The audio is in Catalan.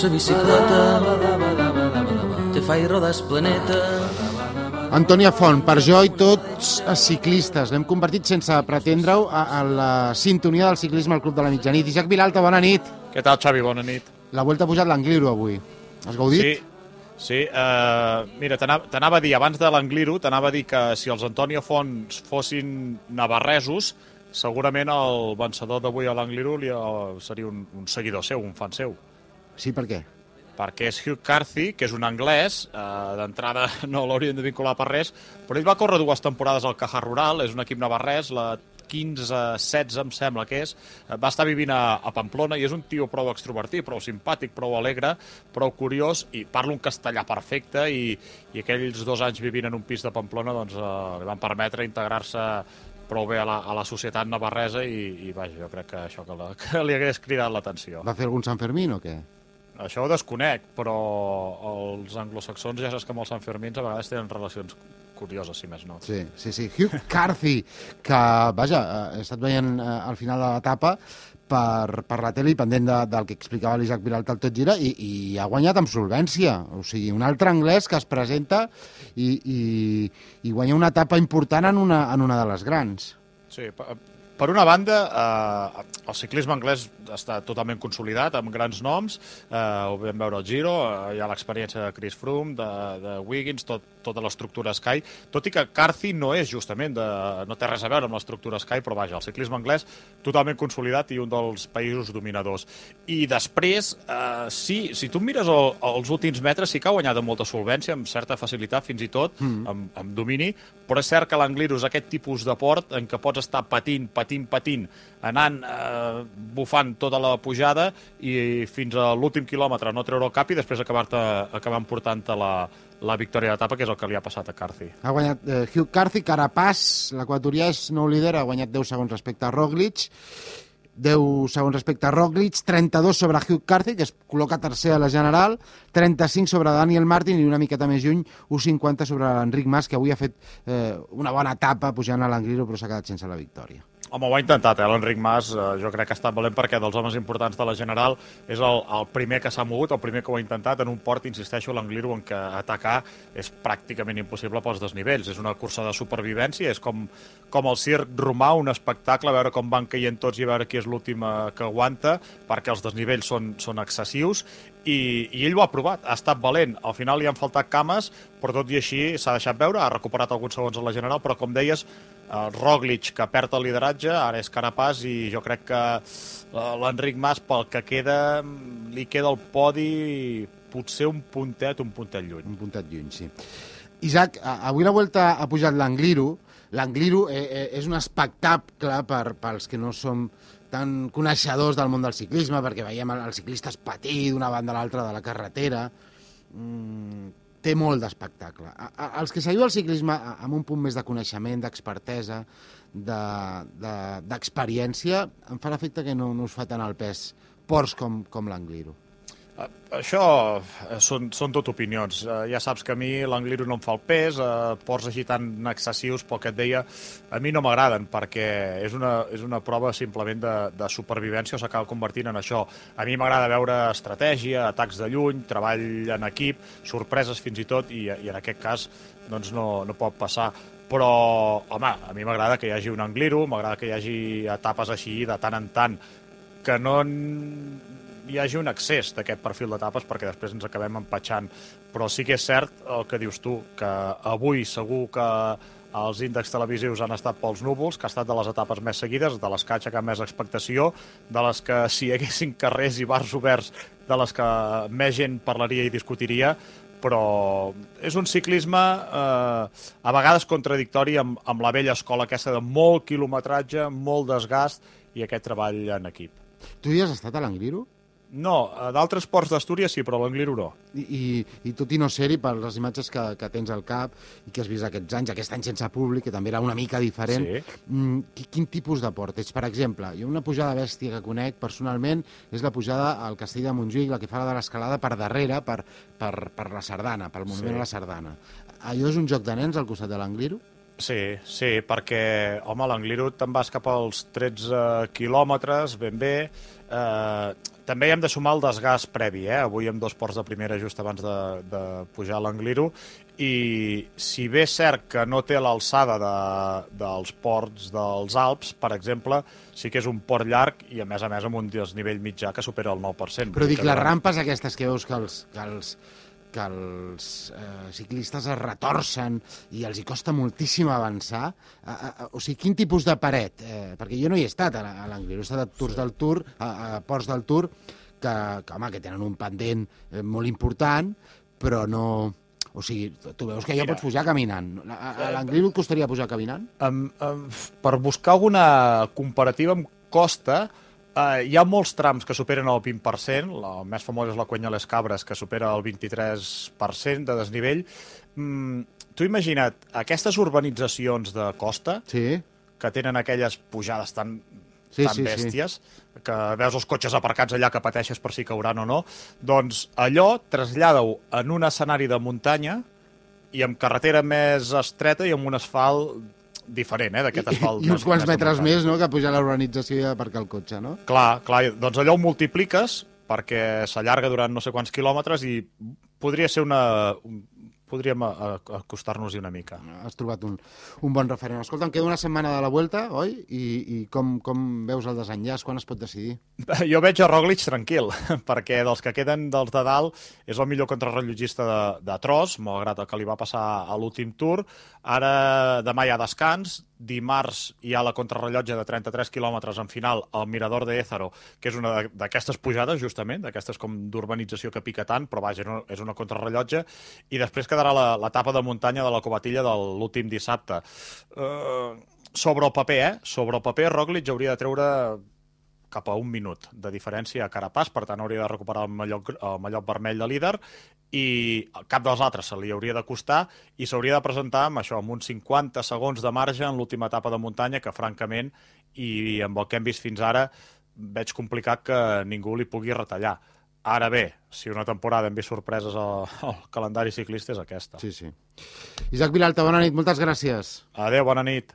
sa bicicleta, te fai rodar el planeta. Antònia Font, per jo i tots els ciclistes, l'hem convertit sense pretendre-ho a la sintonia del ciclisme al Club de la Mitjanit. Isaac Vilalta, bona nit. Què tal, Xavi? Bona nit. La Vuelta ha pujat l'Angliru avui. Has gaudit? Sí. Mira, t'anava a dir, abans de l'Angliru, t'anava a dir que si els Antònia Font fossin navarresos, segurament el vencedor d'avui a l'Angliru seria un seguidor seu, un fan seu. Sí, per què? Perquè és Hugh Carthy, que és un anglès, d'entrada no l'haurien de vincular per res, però ell va córrer 2 temporades al Caja Rural, és un equip navarrès, la 15-16 em sembla que és, va estar vivint a Pamplona i és un tio prou extrovertit, prou simpàtic, prou alegre, prou curiós i parla un castellà perfecte i aquells 2 anys vivint en un pis de Pamplona doncs, li van permetre integrar-se prou bé a la societat navarresa i vaja, jo crec que això que li hagués cridat l'atenció. Va fer algun Sant Fermín o què? Això ho desconec, però els anglosaxons ja saps que amb els Sanfermins a vegades tenen relacions curioses, si més no. Sí. Hugh Carthy, que, vaja, he estat veient al final de l'etapa per la tele i pendent del que explicava l'Isaac Vilalta al Tot Gira i ha guanyat amb solvència. O sigui, un altre anglès que es presenta i guanya una etapa important en una de les grans. Sí, per una banda, el ciclisme anglès està totalment consolidat, amb grans noms, ho vam veure al Giro, hi ha l'experiència de Chris Froome, de Wiggins, tota l'estructura Sky, tot i que Carthy no és justament, no té res a veure amb l'estructura Sky, però vaja, el ciclisme anglès totalment consolidat i un dels països dominadors. I després, si tu mires els últims metres, sí que ha guanyat amb molta solvència, amb certa facilitat fins i tot, amb domini, però és cert que l'Angliru és aquest tipus de port en què pots estar patint, anant, bufant tota la pujada i fins a l'últim quilòmetre no treure el cap i després acabant portant-te la victòria d'etapa, que és el que li ha passat a Carthy. Ha guanyat Hugh Carthy, Carapaz, l'equatorià no ho lidera, ha guanyat 10 segons respecte a Roglic, 10 segons respecte a Roglic, 32 sobre Hugh Carthy, que es col·loca tercer a la general, 35 sobre Daniel Martin i una miqueta més lluny, 1,50 sobre l'Enric Mas, que avui ha fet una bona etapa pujant a l'Angliru, però s'ha quedat sense la victòria. Home, ho ha intentat, l'Enric Mas, jo crec que ha estat valent perquè dels homes importants de la General és el primer que s'ha mogut, el primer que ho ha intentat en un port, insisteixo, l'Angliru, en què atacar és pràcticament impossible pels desnivells. És una cursa de supervivència, és com el circ romà, un espectacle, a veure com van caient tots i a veure qui és l'últim que aguanta, perquè els desnivells són excessius, i ell ho ha provat, ha estat valent. Al final li han faltat cames, però tot i així s'ha deixat veure, ha recuperat alguns segons a la General, però com deies, Roglic, que perd el lideratge, ara és Carapaz, i jo crec que l'Enric Mas, pel que queda, li queda el podi potser un puntet lluny. Un puntet lluny, sí. Isaac, avui la Vuelta ha pujat l'Angliru. L'Angliru és un espectacle pels que no som tan coneixedors del món del ciclisme, perquè veiem els ciclistes patir d'una banda a l'altra de la carretera. Té molt d'espectacle. Els que seguiu el ciclisme amb un punt més de coneixement, d'expertesa, d'experiència, em fa l'efecte que no us fa tant el pes ports com l'Angliru. Això són tot opinions. Ja saps que a mi l'Angliru no em fa el pes, ports així tan excessius, pel que et deia, a mi no m'agraden, perquè és una prova simplement de supervivència o s'acaba convertint en això. A mi m'agrada veure estratègia, atacs de lluny, treball en equip, sorpreses fins i tot, i en aquest cas doncs no pot passar. Però, home, a mi m'agrada que hi hagi un Angliru, m'agrada que hi hagi etapes així de tant en tant, que no hi hagi un excés d'aquest perfil d'etapes perquè després ens acabem empatxant. Però sí que és cert el que dius tu, que avui segur que els índexs televisius han estat pels núvols, que ha estat de les etapes més seguides, de les que ha aixecat més expectació, de les que si hi haguessin carrers i bars oberts, de les que més gent parlaria i discutiria, però és un ciclisme a vegades contradictori amb la vella escola aquesta de molt quilometratge, molt desgast i aquest treball en equip. Tu hi has estat a l'Angliru? No, d'altres ports d'Astúries sí, però l'Angliru no. I tot i no ser-hi, per les imatges que tens al cap i que has vist aquests anys, aquest any sense públic, que també era una mica diferent, sí. Quin tipus de port és? Per exemple, jo una pujada bèstia que conec personalment és la pujada al Castell de Montjuïc, la que fa de l'escalada per darrere, per la Sardana, pel monument a la Sardana. Allò és un joc de nens al costat de l'Angliru? Sí, perquè, home, l'Angliru te'n vas cap als 13 quilòmetres, ben bé. També hi hem de sumar el desgast previ, Avui amb 2 ports de primera just abans de pujar a l'Angliru, i si bé és cert que no té l'alçada dels ports dels Alps, per exemple, sí que és un port llarg i, a més amb un desnivell mitjà que supera el 9%. Però dic, les rampes aquestes que veus que els ciclistes es retorcen i els hi costa moltíssim avançar, o sigui, quin tipus de paret? Perquè jo no hi he estat a l'Angliru, he estat a Tours del Tour, a ports del Tour, que tenen un pendent molt important, però no... O sigui, tu veus que ja pots pujar caminant. A l'Angliru et costaria pujar caminant? Per buscar alguna comparativa amb costa, hi ha molts trams que superen el 20%, el més famós és la Cuenya Les Cabres, que supera el 23% de desnivell. Tu imagina't, aquestes urbanitzacions de costa, que tenen aquelles pujades tan bèsties, que veus els cotxes aparcats allà que pateixes per si cauran o no, doncs allò trasllada-ho en un escenari de muntanya i amb carretera més estreta i amb un asfalt diferent, d'aquest asfalt. I uns quants metres més, no?, que pujar a la urbanització i aparcar el cotxe, no? Clar, doncs allò ho multipliques perquè s'allarga durant no sé quants quilòmetres i podria ser podríem acostar-nos-hi una mica. Has trobat un bon referent. Escolta, em queda una setmana de la Vuelta, oi? I com veus el desenllaç? Quan es pot decidir? Jo veig a Roglic tranquil, perquè dels que queden dels de dalt és el millor contrarrellotgista de tros, malgrat el que li va passar a l'últim Tour. Ara demà hi ha descans, dimarts hi ha la contrarrellotge de 33 quilòmetres en final al Mirador de Ézaro, que és una d'aquestes pujades, justament, d'aquestes com d'urbanització que pica tant, però vaja, és una contrarrellotge, i després quedarà l'etapa de muntanya de la Covatilla de l'últim dissabte. Sobre el paper, Roglic hauria de treure cap a 1 minut de diferència a Carapaz, per tant hauria de recuperar el mallot vermell de líder, i cap dels altres se li hauria de costar i s'hauria de presentar amb uns 50 segons de marge en l'última etapa de muntanya, que francament, i amb el que hem vist fins ara, veig complicat que ningú li pugui retallar. Ara bé, si una temporada hem vist sorpreses al calendari ciclista és aquesta. Sí. Isaac Vilalta, bona nit, moltes gràcies. Adéu, bona nit.